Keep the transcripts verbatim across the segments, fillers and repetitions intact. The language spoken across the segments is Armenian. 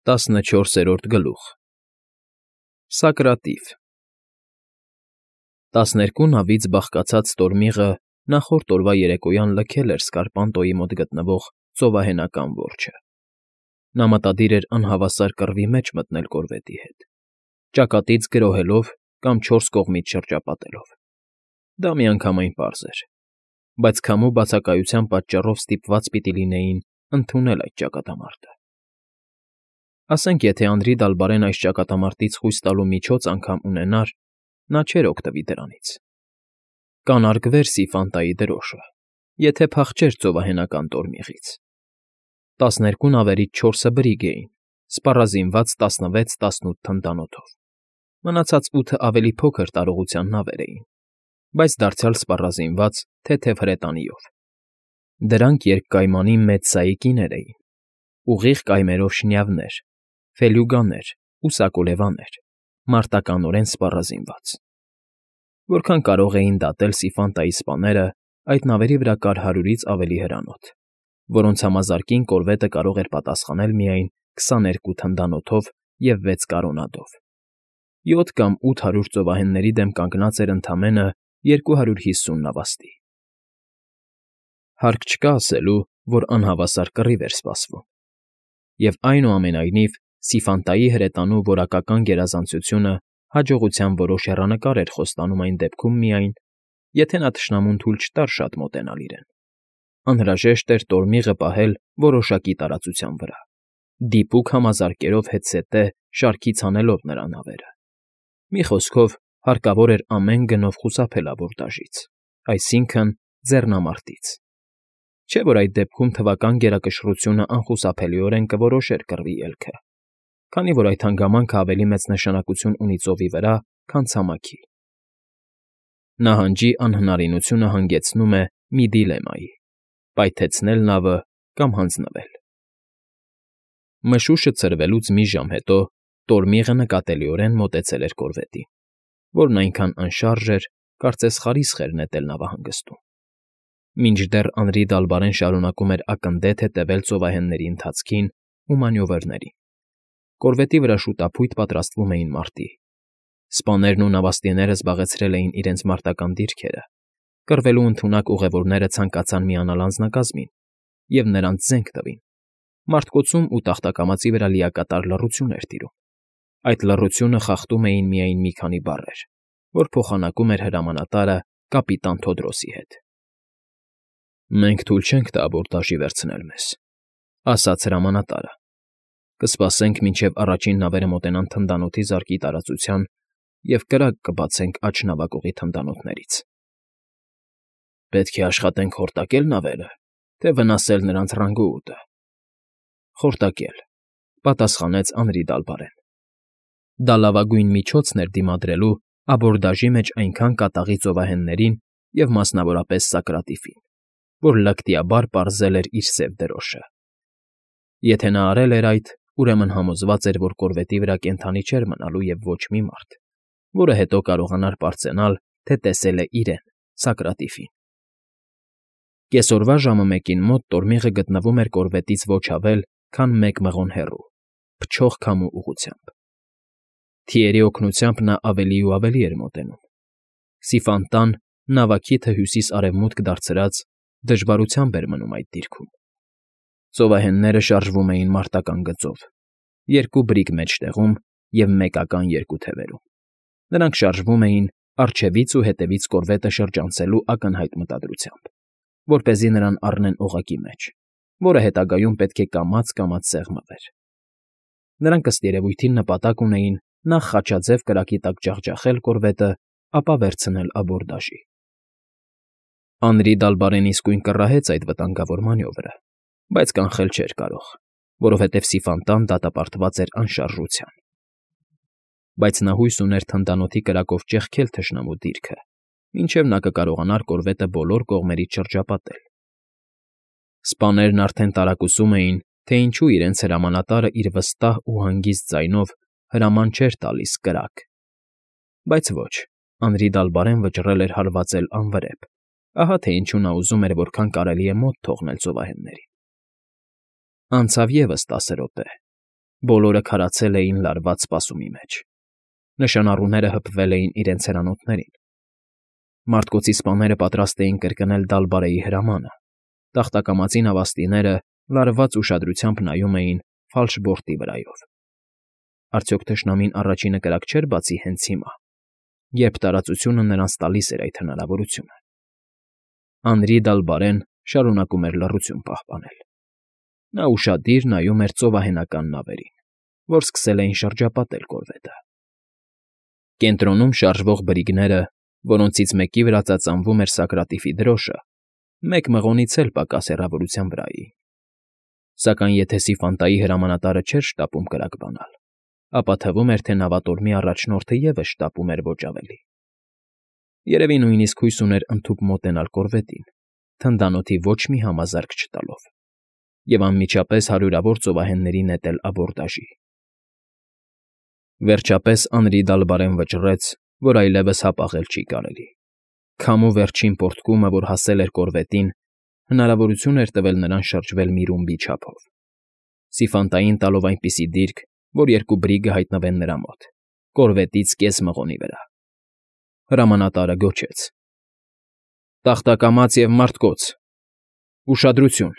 տասնչորսերորդ գլուխ Սակրատիվ Տասներկու նավից բաղկացած տորմիղը նախորդ օրվա երեկոյան լքել էր Սկարպանտոյի մոտ գտնվող ծովահենական որջը. նա մտադիր էր անհավասար կռվի մեջ մտնել կորվետի հետ, ճակատից գրոհելով կամ չորս կողմից շրջապատելով. դա միանգամայն պարզ էր, բայց քամու բացակայության պատճառով ստիպված պիտի լինեին ընդունել այդ ճակատամարտը. ասենք եթե Անդրի Դալբարեն այս ճակատամարտից խույս տալու միջոց անգամ ունենար, նա չէր օգտվի դրանից. կանարգվեր Սիֆանտայի դրոշը, եթե փախչեր ծովահենական տորմիղից. տասներկու նավերից չորսը բրիգ էին, սպառազինված տասնվեց֊տասնութ թնդանոթով, մնացած ութը ավելի փոքր տարողության նավեր էին, բայց դարձյալ սպառազինված թեթև հրետանիով. դրանք երկկայմանի մեծ սայի կիներ էին, ուղիղ կայմերով շնյավներ, ֆելյուգաներ ու սակոլևաներ, մարտականորեն սպառազինված. որքան կարող էին դատել Սիֆանտայի սպաները, այդ նավերի վրա կար հարյուրից ավելի հրանոթ, որոնց համազարկին կորվետը կարող էր պատասխանել միայն քսաներկու թնդանոթով և վեց կարոնադով. յոթ կամ ութ հարյուր ծովահենների դեմ կանգնած էր ընդամենը երկու հարյուր հիսուն նավաստի. Հարկ չկա ասելու, որ անհավասար կռիվ էր սպասվում, և այնուամենայնիվ Սիֆանտայի հրետանու որակական գերազանցությունը հաջողության որոշ հեռանկար էր խոստանում այն դեպքում միայն, եթե նա թշնամուն թույլ չտար շատ մոտենալ իրեն. անհրաժեշտ էր տորմիղը պահել որոշակի տարածության վրա, դիպուկ համազարկերով հետզհետե շարքից հանելով նրա նավերը. մի խոսքով, հարկավոր էր ամեն գնով խուսափել աբորդաժից, այսինքն՝ ձեռնամարտից. չէ՞ որ այդ դեպքում թվական գերակշռությունը անխուսափելիորեն կորոշեր կռվի ելքը, քանի որ այդ հանգամանքը ավելի մեծ նշանակություն ունի ծովի վրա, քան ցամաքի. նահանջի անհնարինությունը հանգեցնում է մի դիլեմայի՝ պայթեցնել նավը կամ հանձնվել: Մշուշը ցրվելուց մի ժամ հետո տորմիղը նկատելիորեն մոտեցել էր կորվետին, որն այնքան անշարժ էր, կարծես խարիսխ էր նետել նավահանգստում. մինչդեռ Անրի Դալբարեն շարունակում էր ակնդեթ հետևել ծովահենների ընթացքին ու մանյովրներին. կորվետի վրա շուտափույթ պատրաստվում էին մարտի. սպաներն ու նավաստիները զբաղեցրել էին իրենց մարտական դիրքերը, կռվելու ընդունակ ուղևորները ցանկացան միանալ անձնակազմին և նրանց զենք տվին. մարտկոցում ու տախտակամածի վրա լիակատար լռություն էր տիրում. այդ լռությունը խախտում էին միայն մի քանի բառեր, որ փոխանակում էր հրամանատարը կապիտան Թոդրոսի հետ. «Մենք թույլ չենք տա աբորդաժի վերցնել մեզ», ասաց հրամանատարը. «կսպասենք, մինչև առաջին նավերը մոտենան թնդանոթի զարկի տարածության և կրակ կբացենք աջ նավակողի թնդանոթներից»։ «Պետք է աշխատենք խորտակե՞լ նավերը, թե վնասել նրանց ռանգուոտը»։ «Խորտակել», պատասխանեց Անրի Դալբարեն. դա լավագույն միջոցն էր դիմադրելու աբորդաժի մեջ այնքան կատաղի ծովահեններին և մասնավորապես Սակրատիվին, որ լկտիաբար պարզել էր իր սև դրոշը. եթե նա արել էր այդ, ուրեմն համոզված էր, որ կորվետի վրա կենդանի չէր մնալու և ոչ մի մարդ, որը հետո կարողանար պարծենալ, թե տեսել է իրեն՝ Սակրատիվին: Կեսօրվա ժամը մեկին մոտ տորմիղը գտնվում էր կորվետից ոչ ավել, քան մեկ մղոն հեռու, փչող քամու ուղղությամբ: Թիերի օգնությամբ նա ավելի ու ավելի էր մոտենում. Սիֆանտան, նավակիթը հյուսիս֊արևմուտք դարձրած, դժվարությամբ էր մնում այդ դիրքում: Ծովահենները շարժվում էին մարտական գծով, երկու բրիգ մեջտեղում և մեկական երկու թևերում. նրանք շարժվում էին առջևից ու հետևից կորվետը շրջանցելու ակնհայտ մտադրությամբ, որպեսզի նրան առնեն օղակի մեջ, որը հետագայում պետք է կամաց֊կամաց սեղմվեր: Նրանք ըստ երևույթին նպատակ ունեին նախ խաչաձև կրակի տակ ջախջախել կորվետը, ապա վերցնել աբորդաժի: Անրի Դալբարեն իսկույն կռահեց այդ վտանգավոր մանյովրը, բայց կանխել չէր կարող, որովհետև Սիֆանտան դատապարտված էր անշարժության: Բայց նա հույս ուներ թնդանոթի կրակով ճեղքել թշնամու դիրքը, մինչև նա կկարողանար կորվետը բոլոր կողմերից շրջապատել: Սպաներն արդեն տարակուսում էին, թե ինչու իրենց հրամանատարը իր վստահ ու հանգիստ ձայնով հրաման չէր տալիս «կրակ», բայց ոչ, Անրի Դալբարեն վճռել էր հարվածել անվրեպ, ահա թե ինչու նա ուզում էր որքան կարելի է մոտ թողնել ծովահեններին: Անցավ ևս տասը րոպե, Բոլորը քարացել էին լարված սպասումի մեջ։ Նշանառուները հպվել էին իրենց հրանոթներին։ Մարտկոցի սպաները պատրաստ էին կրկնել Դալբարեի հրամանը։ Տախտակամածի նավաստիները լարված ուշադրությամբ նայում էին ֆալշբորտի վրայով։ Արդյոք թշնամին առաջինը կրակ չէր բացի հենց հիմա, երբ տարածությունը նրանց տալիս էր այդ հնարավորությունը։ Անրի Դալբարեն շարունակում էր լռություն պահպանել։ Նա ուշադիր նայում էր ծովահենական նավերին, որ սկսել էին շրջապատել կորվետը։ Կենտրոնում շարժվող բրիգները, որոնցից մեկի վրա ծածանվում էր Սակրատիֆի դրոշը, մեկ մղոնից էլ պակաս հեռավորության վրա էին։ Սակայն եթե Սիֆանտայի հրամանատարը չէր շտապում կրակ բանալ, ապա թվում էր, թե նավատորմի առաջնորդը ևս շտապում էր ոչ ավելի։ Երևի նույնիսկ հույս ուներ ընդհուպ մոտենալ կորվետին, թնդանոթի ոչ մի համազարկ չտալով, և անմիջապես հարյուրավոր ծովահենների նետել աբորդաժի։ Վերջապես Անրի Դալբարեն վճռեց, որ այլևս հապաղել չի կարելի։ Քամու վերջին պոռթկումը, որ հասել էր կորվետին, հնարավորություն էր տվել նրան շրջվել մի ռումբի չափով, Սիֆանտային տալով այնպիսի դիրք, որ երկու բրիգը հայտնվեն նրա մոտ, կորվետից կես մղոնի վրա։ Հրամանատարը գոչեց. «Տախտակամաց և մարտկոց… Ուշադրություն»։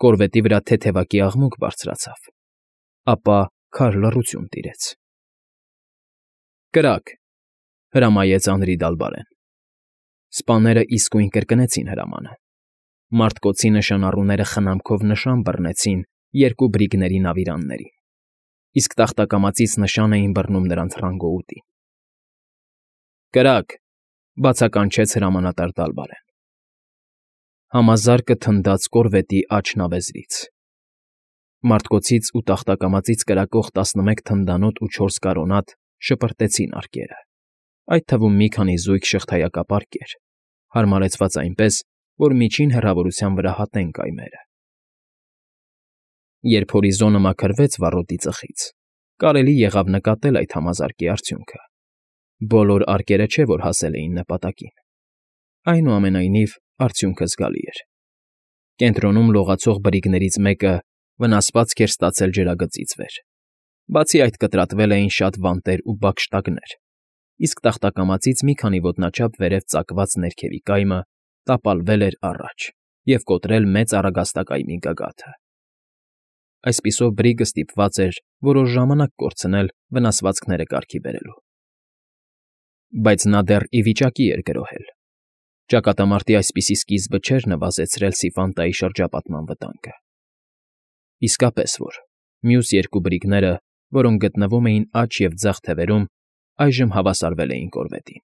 Կորվետի վրա թեթևակի աղմուկ բարձրացավ, ապա քար լռություն տիրեց։ «Կրակ», հրամայեց Անրի Դալբարեն։ Սպաները իսկույն կրկնեցին հրամանը։ Մարտկոցի նշանառուները խնամքով նշան բռնեցին երկու բրիգների նավիրաններին, իսկ տախտակամածից նշան էին բռնում նրանց ռանգոուտին։ «Կրակ», բացականչեց հրամանատար Դալբարեն։ Համազարկը թնդաց կորվետի աջ նավեզրից։ Մարտկոցից ու տախտակամածից կրակող տասնմեկ թնդանոթ ու չորս կարոնատ շպրտեցին արկերը, այդ թվում մի քանի զույգ շղթայակապ արկեր, հարմարեցված այնպես, որ միջին հեռավորության վրա հատեն կայմերը։ Երբ հորիզոնը մաքրվեց վառոդի ծխից, կարելի եղավ նկատել այդ համազարկի արդյունքը։ Բոլոր արկերը չէ, որ հասել էին նպատակին։ Այնուամենայնիվ, արդյունքը զգալի էր։ Կենտրոնում լողացող բրիգներից մեկը վնասվածք էր ստացել ջրագծից վեր։ Բացի այդ կտրատվել էին շատ վանտեր ու բակշտակներ, իսկ տախտակամածից մի քանի ոտնաչափ վերև ծակված ներքևի կայմը տապալվել էր առաջ և կոտրել մեծ առագաստակայմի գագաթը։ Այսպիսով բրիգը ստիպված էր որոշ ժամանակ կորցնել վնասվածքները կարգի բերելու։ Բայց նա դեռ ի վիճակի էր գրոհել։ Ճակատամարտի այսպիսի սկիզբը չէր նվազեցրել Սիֆանտայի շրջապատման վտանգը։ Իսկապես որ, մյուս երկու բրիգները, որոնք գտնվում էին աջ և ձախ թևերում, այժմ հավասարվել էին կորվետին։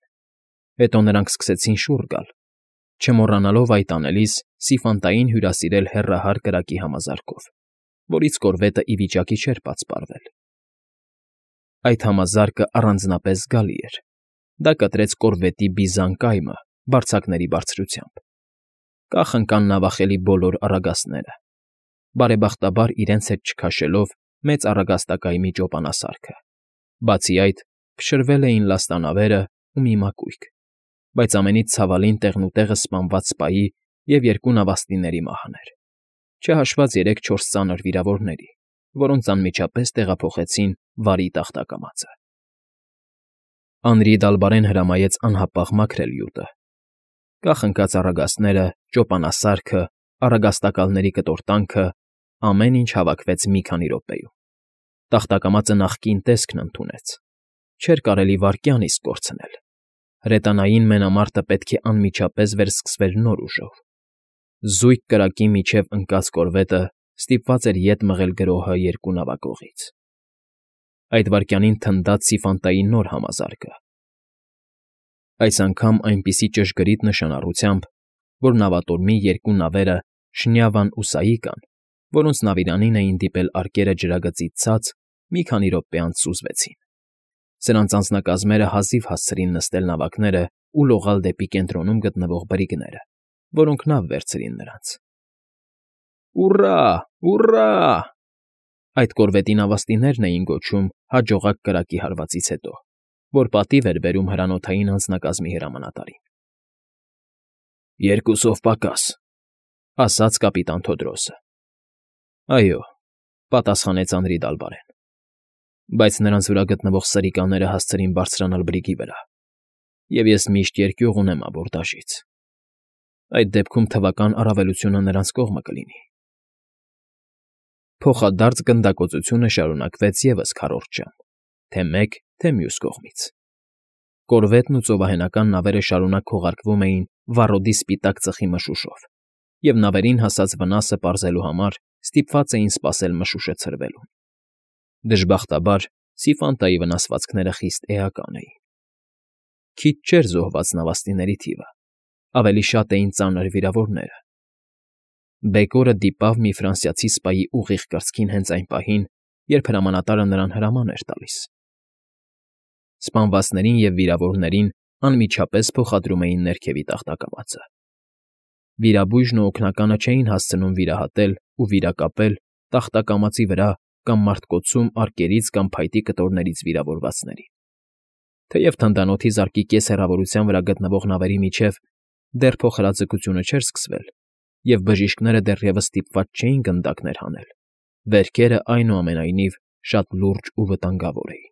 Հետո նրանք սկսեցին շուռ գալ, չմոռանալով այդ անելիս Սիֆանտային հյուրասիրել հեռահար կրակի համազարկով, որից կորվետը ի վիճակի չէր պատսպարվել։ Այդ համազարկը առանձնապես զգալի էր։ Դա կտրեց կորվետի բիզան կայմը բարձակների բարձրությամբ։ Կախ ընկան նավախելի բոլոր առագաստները, բարեբախտաբար իրենց հետ չքաշելով մեծ առագաստակայմի ճոպանասարքը։ Բացի այդ, փշրվել էին լաստանավերը ու մի մակույկ, բայց ամենից ցավալին տեղնուտեղը սպանված սպայի և երկու նավաստիների մահն էր, չհաշված երեք֊չորս ծանր վիրավորների, որոնց անմիջապես տեղափոխեցին Վարի տախտակամածը։ Անրի Դալբարեն հրամայեց անհապաղ մաքրել յուտը։ Կախ ընկած առագաստները, ճոպանասարքը, առագաստակալների կտորտանքը, ամեն ինչ հավաքվեց մի քանի րոպեում։ Տախտակամածը նախկին տեսքն ընդունեց։ Չէր կարելի վայրկյան իսկ կորցնել։ Հրետանային մենամարտը պետք է անմիջապես վերսկսվեր նոր ուժով։ Զույգ կրակի միջև ընկած կորվետը ստիպված էր ետ մղել գրոհը երկու նավակողից։ Այդ վայրկյանին թնդաց Սիֆանտայի նոր համազարկը։ Այս անգամ այնպիսի ճշգրիտ նշանառությամբ, որ նավատորմի երկու նավերը Շնյավան ու Սաիկան, որոնց նավիրանին էին դիպել արկերը ջրագծից ցած, մի քանի րոպե անց սուզվեցին։ Սրանց անձնակազմերը հազիվ հասցրին նստել նավակները ու լողալ դեպի կենտրոնում գտնվող բրիգները, որոնք նավ վերցրին նրանց։ Ուռա՜, ուռա՜… Այդ կորվետի նավաստիներն էին գոչում հաջողակ կրակի հարվածից հետո, որ պատիվ էր բերում հրանոթային անձնակազմի հրամանատարին։ «Երկուսով պակաս», ասաց կապիտան Թոդրոսը։ Այո, Պատասխանեց Անրի Դալբարեն։ Բայց նրանց վրա գտնվող սրիկաները հասցրին բարձրանալ բրիգի վրա, և ես միշտ երկյուղ ունեմ աբորդաժից։ Այդ դեպքում թվական առավելությունը նրանց կողմը կլինի։ Փոխադարձ գնդակոծությունը շարունակվեց ևս քառորդ ժամ, թե մեկ, թե մյուս կողմից։ Կորվետն ու ծովահենական նավերը շարունակ քողարկվում էին վառոդի սպիտակ ծխի մշուշով, և նավերին հասած վնասը պարզելու համար ստիպված էին սպասել մշուշը ցրվելուն։ Դժբախտաբար, Սիֆանտայի վնասվածքները խիստ էական էին։ Քիչ չէր զոհված նավաստիների թիվը, ավելի շատ էին ծանր վիրավորները։ Բեկորը դիպավ մի ֆրանսիացի սպայի ուղիղ կրծքին հենց այն պահին, երբ հրամանատարը նրան հրաման էր տալիս։ Սպանվածներին և վիրավորներին անմիջապես փոխադրում էին ներքևի տախտակամածը։ Վիրաբույժն ու օգնականը չէին հասցնում վիրահատել ու վիրակապել տախտակամածի վրա կամ մարտկոցում արկերից կամ փայտի կտորներից վիրավորվածներին։ Թեև թնդանոթի զարկի կես հեռավորության վրա գտնվող նավերի միջև դեռ փոխհրաձգությունը չէր սկսվել, և բժիշկները դեռևս ստիպված չէին գնդակներ հանել, վերքերը, այնուամենայնիվ, շատ լուրջ ու վտանգավոր էին։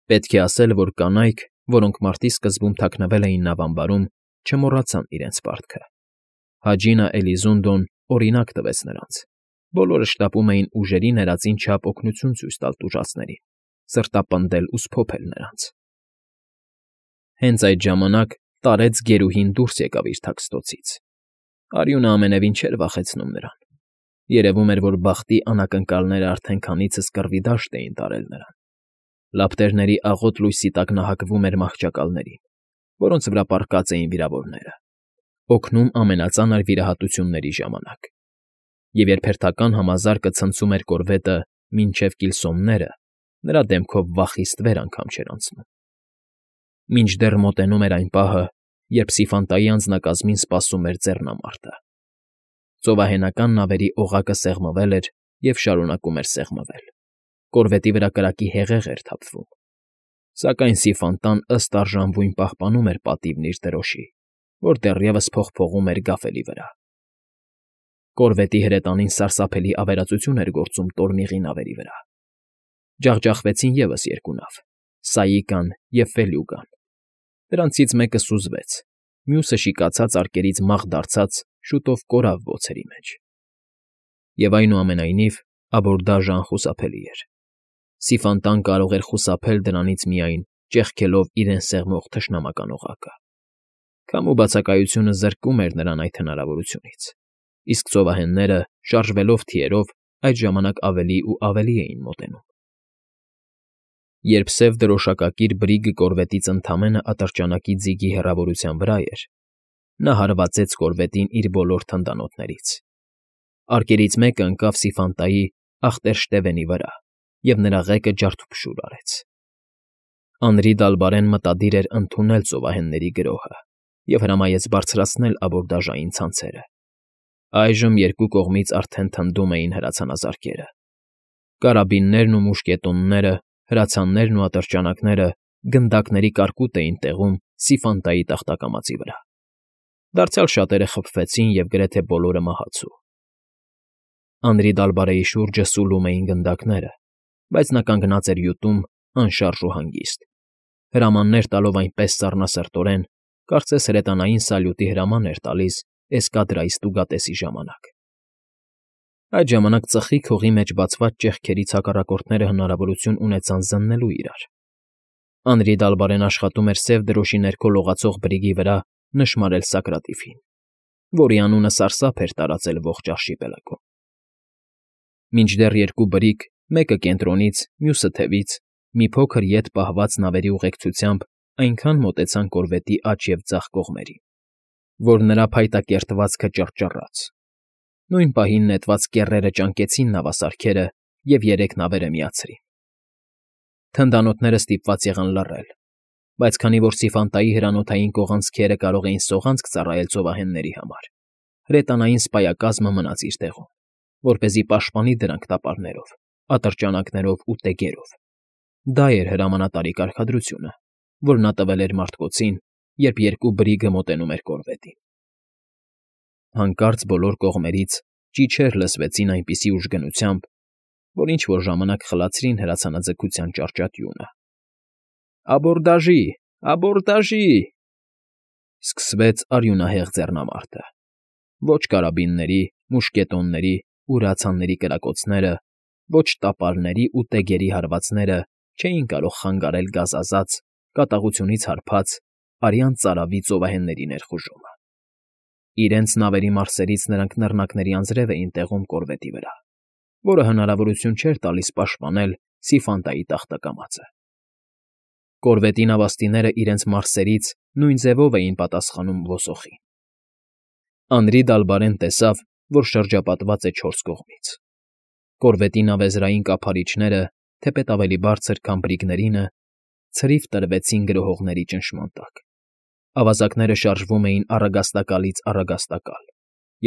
Պետք է ասել, որ կանայք, որոնք մարտի սկզբում թաքնվել էին նավամբարում, չմոռացան իրենց պարտքը։ Հաջինը Էլիզունդոն օրինակ տվեց նրանց։ Բոլորը շտապում էին ուժերի ներածին չափ օգնություն ցույց տալ տուժածներին, սրտապնդել ու սփոփել նրանց։ Հենց այդ ժամանակ տարեց գերուհին դուրս եկավ իր թաքստոցից։ Արյունը ամենևին չէր վախեցնում նրան։ Երևում էր, որ բախտի անակնկալները արդեն քանիցս կռվի դաշտ էին տարել նրան։ Լապտերների աղոտ լույսի տակ նա հակվում էր մահճակալներին, որոնց վրա պառկած էին վիրավորները, օգնում ամենածանր վիրահատությունների ժամանակ։ Եվ երբ հերթական համազարկը ցնցում էր կորվետը մինչև կիլսոնները, նրա դեմքով վախիստ վեր անգամ չէր անցնում։ Մինչդեռ մոտենում էր այն պահը, երբ Սիֆանտայի անձնակազմին սպասում էր ձեռնամարտը։ Ծովահենական նավերի օղակը սեղմվել էր և շարունակում էր սեղմվել։ Կորվետի վրա կրակի հեղեղ էր թափվում։ Սակայն Սիֆանտան ըստ արժանվույն պահպանում էր պատիվն իր դրոշի, որ դեռևս փողփողում էր գաֆելի վրա։ Կորվետի հրետանին սարսափելի ավերածություն էր գործում տորմիղի նավերի վրա։ Ջախջախվեցին ևս երկու նավ՝ Սաիկան և Ֆելյուգան։ Դրանցից մեկը սուզվեց, մյուսը շիկացած արկերից մաղ դարձած շուտով կորավ բոցերի մեջ։ Եվ այնուամենայնիվ աբորդաժը անխուսափելի էր։ Սիֆանտան կարող էր խուսափել դրանից միայն ճեղքելով իրեն սեղմող թշնամական օղակը։ Քամու բացակայությունը զրկում էր նրան այդ հնարավորությունից, իսկ ծովահենները, շարժվելով թիերով, այդ ժամանակ ավելի ու ավելի էին մոտենում։ Երբ սև դրոշակակիր բրիգը կորվետից ընդամենը ատրճանակի ձիգի հեռավորության վրա էր, նա հարվածեց կորվետին իր բոլոր թնդանոթներից։ Արկերից մեկը ընկավ Սիֆանտայի ախտերշտևենի վրա, և նրա ղեկը ջարդուփշուր արեց։ Անրի Դալբարեն մտադիր էր ընդունել ծովահենների գրոհը և հրամայեց բարձրացնել աբորդաժային ցանցերը։ Այժմ երկու կողմից արդեն թնդում էին հրացանազարկերը։ Կարաբիններն ու մուշկետոնները, հրացաններն ու ատրճանակները գնդակների կարկուտ էին տեղում Սիֆանտայի տախտակամածի վրա։ Դարձյալ շատերը խփվեցին և գրեթե բոլորը մահացու։ Անրի Դալբարեի շուրջը սուլում էին գնդակները, բայց նա կանգնած էր յուտում, անշարժ ու հանգիստ, հրամաններ տալով այնպես սառնասրտորեն, կարծես հրետանային սալյուտի հրաման էր տալիս էսկադրայի ստուգատեսի ժամանակ։ Այդ ժամանակ ծխի քողի մեջ բացված ճեղքերից հակառակորդները հնարավորություն ունեցան զննելու իրար։ Անրի Դալբարեն աշխատում էր սև դրոշի ներքո լողացող բրիգի վրա նշմարել Սակրատիֆին, որի անունը սարսափ էր տարածել ողջ արշիպելագում։ Մինչդեռ երկու բրիգ, մեկը կենտրոնից, մյուսը թևից, մի փոքր ետ պահված նավերի ուղեկցությամբ այնքան մոտեցան կորվետի աջ և ձախ կողմերին, որ նրա փայտակերտվածքը ճռճռաց։ Նույն պահին նետված կեռերը ճանկեցին նավասարքերը և երեք նավերը միացրին։ Թնդանոթները ստիպված եղան լռել, բայց քանի որ Սիֆանտայի հրանոթային կողանցքերը կարող էին սողանցք ծառայել ծովահենների համար, հրետանային սպայակազմը մնաց իր տեղում, որպեսզի պաշտպանի դրանք տապարներով, ատրճանակներով ու տեգերով։ Դա էր հրամանատարի կարգադրությունը, որ նա տվել էր մարտկոցին, երբ երկու բրիգը մոտենում էր կորվետին։ Հանկարծ բոլոր կողմերից ճիչեր լսվեցին այնպիսի ուժգնությամբ, որ ինչ֊որ ժամանակ խլացրին հրացանաձգության ճարճատյունը։ «Աբորդաժի, աբորդաժի…» Սկսվեց արյունահեղ ձեռնամարտը։ Ոչ կարաբինների, մուշկետոնների ու հրացանների կրակոցները, ոչ տապարների ու տեգերի հարվածները չէին կարող խանգարել գազազած, կատաղությունից հարբած, արյան ծարավի ծովահենների ներխուժումը։ Իրենց նավերի մարսերից նրանք նռնակների անձրև էին տեղում կորվետի վրա, որը հնարավորություն չէր տալիս պաշտպանել Սիֆանտայի տախտակամածը։ Կորվետի նավաստիները իրենց մարսերից նույն ձևով էին պատասխանում ոսոխին։ Անրի Դալբարեն տեսավ, որ շրջապատված է չորս կողմից։ Կորվետի նավեզրային կափարիչները, թեպետ ավելի բարձր, քան բրիգներինը, ցրիվ տրվեցին գրոհողների ճնշման տակ։ Ավազակները շարժվում էին առագաստակալից առագաստակալ,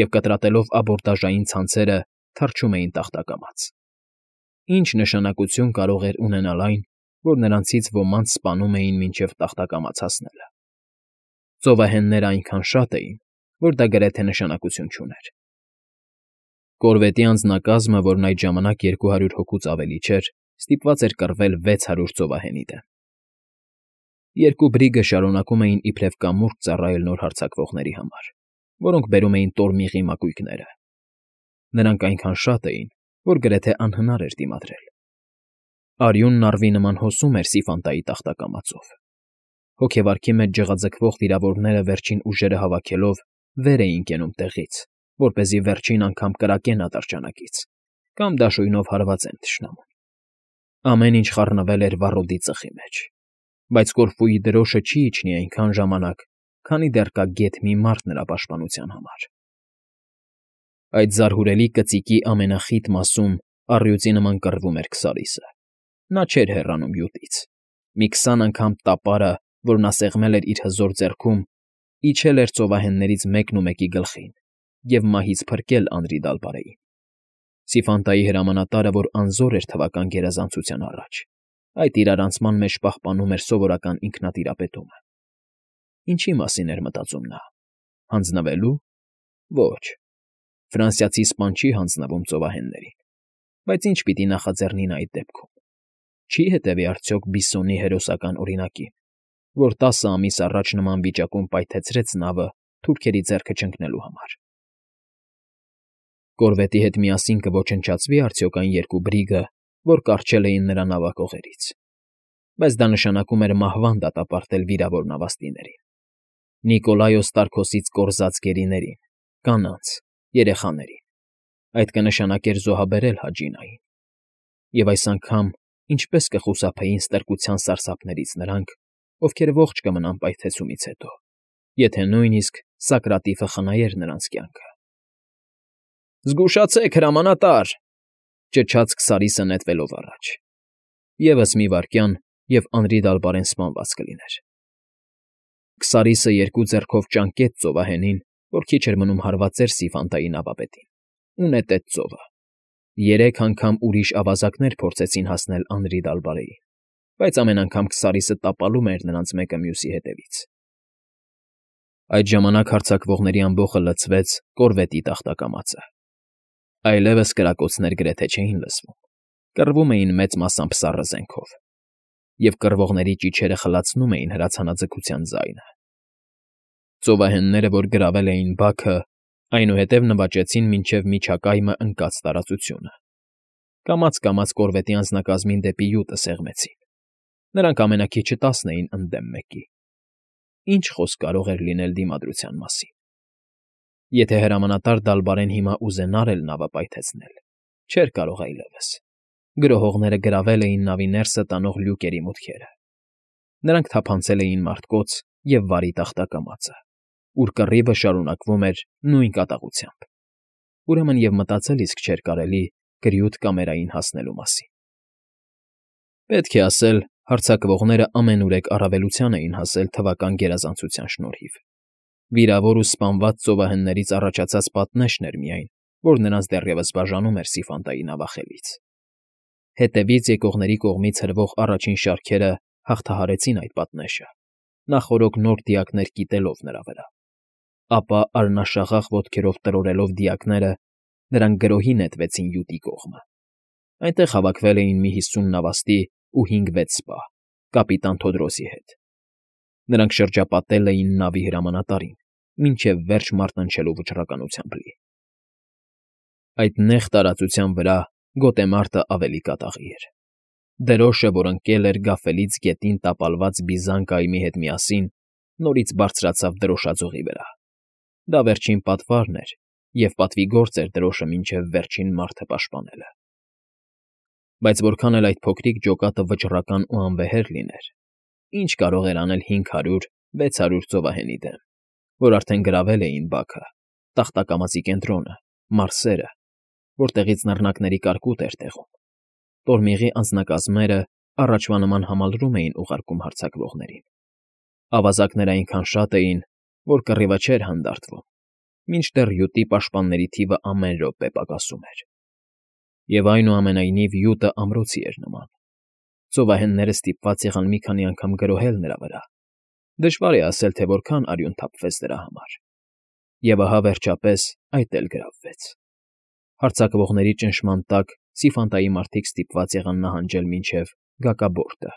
և կտրատելով աբորդաժային ցանցերը թռչում էին տախտակամաց։ Ինչ նշանակություն կարող էր ունենալ այն, որ նրանցից ոմանց սպանում էին մինչև տախտակամաց հասնելը։ Ծովահենները այնքան շատ էին, որ դա գրեթե նշանակություն չուներ։ Կորվետի անձնակազմը, որն այդ ժամանակ երկու հարյուր հոգուց ավելի չէր, ստիպված էր կռվել վեց հարյուր ծովահենի դեմ։ Երկու բրիգը շարունակում էին իբրև կամուրջ ծառայել նոր հարձակվողների համար, որոնք բերում էին տորմիղի մակույկները։ Նրանք այնքան շատ էին, որ գրեթե անհնար էր դիմադրել։ Արյունն առվի նման հոսում էր Սիֆանտայի տախտակամածով։ Հոգեվարքի մեջ ջղաձգվող վիրավորները վերջին ուժերը հավաքելով վեր էին կենում տեղից, որպեսզի վերջին անգամ կրակեն ատրճանակից կամ դաշույնով հարվածեն թշնամուն։ Ամեն ինչ խառնվել էր վառոդի ծխի մեջ, բայց կորֆուի դրոշը չի իջնի այնքան ժամանակ, քանի դեռ կա գեթ մի մարդ նրա պաշտպանության համար։ Այդ զարհուրելի կծիկի ամենախիտ մասում առյուծի նման կռվում էր Քսարիսը։ Նա չէր հեռանում յուտից։ Մի քսան անգամ տապարը, որ նա սեղմել էր իր հզոր ձեռքում, իջել էր ծովահեններից մեկն ու մեկի գլխին և մահից փրկել Անրի Դալբարեին։ Սիֆանտայի հրամանատարը, որ անզոր էր թվական գերազանցության առաջ, այդ իրարանցման մեջ պահպանում էր սովորական ինքնատիրապետումը։ Ինչի մասին էր մտածում նա։ Հանձնվելու։ Ոչ։ Ֆրանսիացի սպան չի հանձնվում ծովահեններին։ Բայց ինչ պիտի նախաձեռնի նա այդ դեպքում։ Չի հետևի արդյոք Բիսոնի հերոսական օրինակին, որ տասը ամիս առաջ նման վիճակում պայթեցրեց նավը թուրքերի ձեռքը չընկնելու համար։ Կորվետի հետ միասին կոչնչացվի՞ արդյոք այն երկու բրիգը, որ կառչել էին նրա նավակողերից։ Բայց դա նշանակում էր մահվան դատապարտել վիրավոր նավաստիներին, Նիկոլայոս Տարքոսից կորզած գերիներին, կանանց, երեխաներին։ Այդ կնշանակեր զոհաբերել Հաջինային։ Եվ այս անգամ ինչպես կխուսափեին ստրկության սարսափներից նրանք, ովքեր ողջ կմնան պայթեցումից հետո, եթե նույնիսկ Սակրատիֆը խնայեր նրանց կյանքը։ «Զգուշացե՛ք, հրամանատար…֊ ճչաց Քսարիսը նետվելով առաջ։ Եվս մի վայրկյան, և Անրի Դալբարեն սպանված կլիներ։ Քսարիսը երկու ձեռքով ճանկեց ծովահենին, որ քիչ էր մնում հարվածեր Սիֆանտայի նավապետին, ու նետեց ծովը։ Երեք անգամ ուրիշ ավազակներ փորձեցին հասնել Անրի Դալբարեին, բայց ամեն անգամ Քսարիսը տապալում էր նրանց մեկը մյուսի հետևից։ Այդ ժամանակ հարձակվողների ամբոխը լցվեց կորվետի տախտակամածը։ Այլևս կրակոցներ գրեթե չէին լսվում, կռվում էին մեծ մասամբ սառը զենքով, և կռվողների ճիչերը խլացնում էին հրացանաձգության ձայնը։ Ծովահենները, որ գրավել էին բաքը, այնուհետև նվաճեցին մինչև միջակայմը ընկած տարածությունը։ Կամաց֊կամաց կորվետի անձնակազմին դեպի յուտը սեղմեցին։ Նրանք ամենաքիչը տասն էին ընդդեմ մեկի։ Ինչ խոսք կարող էր լինել դիմադրության մասին։ Եթե հրամանատար Դալբարեն հիմա ուզենար էլ նավը պայթեցնել, չէր կարող այլևս։ Գրոհողները գրավել էին նավի ներսը տանող լյուկերի մուտքերը։ Նրանք թափանցել էին մարտկոց և վարի տախտակամածը, ուր կռիվը շարունակվում էր նույն կատաղությամբ։ Ուրեմն և մտածել իսկ չէր կարելի կրյուտ կամերային հասնելու մասին։ Պետք է ասել, հարձակվողները ամենուրեք առավելության էին հասել թվական գերազանցության շնորհիվ։ Վիրավոր ու սպանված ծովահեններից առաջացած պատնեշն էր միայն, որ նրանց դեռևս բաժանում էր Սիֆանտայի նավախելից։ Հետևից եկողների կողմից հրվող առաջին շարքերը հաղթահարեցին այդ պատնեշը, նախօրոք նոր դիակներ կիտելով նրա վրա։ Ապա արնաշաղախ ոտքերով տրորելով դիակները, նրանք գրոհի նետվեցին յուտի կողմը։ Այնտեղ հավաքվել էին մի հիսուն նավաստի ու հինգ֊վեց սպա, կապիտան Թոդրոսի հետ։ Նրանք շրջապատել էին նավի հրամանատարին, մինչև վերջ մարտնչելու վճռականությամբ լի։ Այդ նեղ տարածության վրա գոտեմարտը ավելի կատաղի էր։ Դրոշը, որ ընկել էր գաֆելից գետին տապալված բիզան կայմի հետ միասին, նորից բարձրացավ դրոշաձողի վրա։ Դա վերջին պատվարն էր, և պատվի գործ էր դրոշը մինչև վերջին մարդը պաշտպանելը։ Բայց որքան էլ այդ փոքրիկ ջոկատը վճռական ու անվեհեր լիներ, ինչ կարող էր անել հինգ հարյուր֊վեց հարյուր ծովահենի դեմ, որ արդեն գրավել էին Բաքը, Տախտակամածի կենտրոնը, մարսերը, որտեղից նռնակների կարկուտ էր տեղում։ Տորմիղի անձնակազմերը առաջվա նման համալրում էին ուղարկում հարձակվողներին։ Ավազակներ այնքան շատ էին, որ կռիվը չէր հանդարտվում, մինչդեռ յուտի պաշտպանների թիվը ամեն րոպե պակասում էր։ Եվ այնուամենայնիվ յուտը ամրոցի էր նման։ Ծովահենները ստիպված եղան մի քանի անգամ գրոհել նրա վրա։ Դժվար է ասել, թե որքան արյուն թափվեց դրա համար։ Եվ ահա վերջապես այդ էլ գրավվեց։ Հարձակվողների ճնշման տակ Սիֆանտայի մարդիկ ստիպված եղան նահանջել մինչև Գակաբորտը։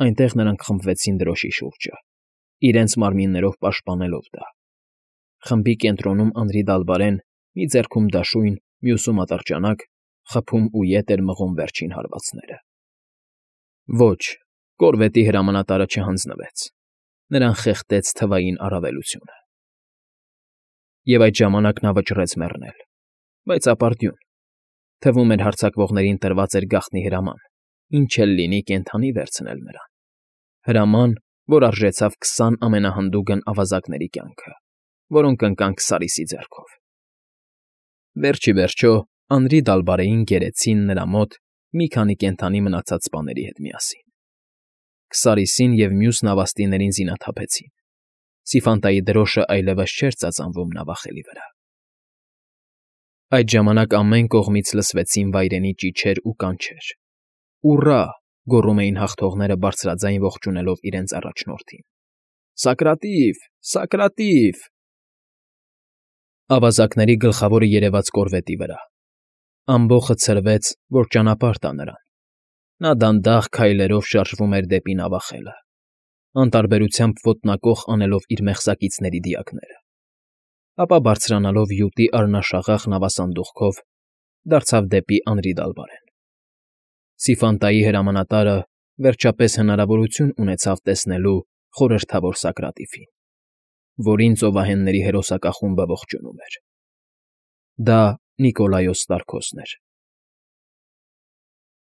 Այնտեղ նրանք խմբվեցին դրոշի շուրջը, իրենց մարմիններով պաշտպանելով դա։ Խմբի կենտրոնում Անրի֊Դալբարեն, մի ձեռքում դաշույն, մյուսում ատրճանակ, խփում ու ետ էր մղում վերջին հարվածները։ Ոչ, կորվետի հրամանատարը չհանձնվեց։ Նրան խեղդեց թվային առավելությունը։ Եվ այդ ժամանակ նա վճռեց մեռնել, բայց ապարդյուն։ Թվում էր հարձակվողներին տրված էր գաղտնի հրաման, ինչ էլ լինի կենդանի վերցնել նրան։ Հրաման, որ արժեցավ քսան ամենահանդուգն ավազակների կյանքը, որոնք ընկան Քսարիսի ձեռքով։ Վերջ ի վերջո Անրի֊Դալբարեին գերեցին նրա մոտ մի քանի կենդանի մնացած սպաների հետ միասին։ Քսարիսին և մյուս նավաստիներին զինաթափեցին։ Սիֆանտայի դրոշը այլևս չէր ծածանվում նավախելի վրա։ Այդ ժամանակ ամեն կողմից լսվեցին վայրենի ճիչեր ու կանչեր։ «Ուռա!» գոռում էին հաղթողները բարձրաձայն ողջունելով իրենց առաջնորդին։ «Սակրատիվ, Սակրատիվ»։ Ավազակների գլխավորը երևաց կորվետի վրա։ Ամբոխը ցրվեց, որ ճանապարհ տա նրան։ Նա դանդաղ քայլերով շարժվում էր դեպի նավախելը, անտարբերությամբ ոտնակոխ անելով իր մեղսակիցների դիակները, ապա բարձրանալով յուտի արնաշաղախ նավասանդուղքով դարձավ դեպի Անրի֊Դալբարեն։ Սիֆանտայի հրամանատարը վերջապես հնարավորություն ունեցավ տեսնելու խորհրդավոր Սակրատիվին, որին ծովահենների հերոսակախումբը ողջունում էր։ Դա Նիկոլայոս Ստարկոսն էր։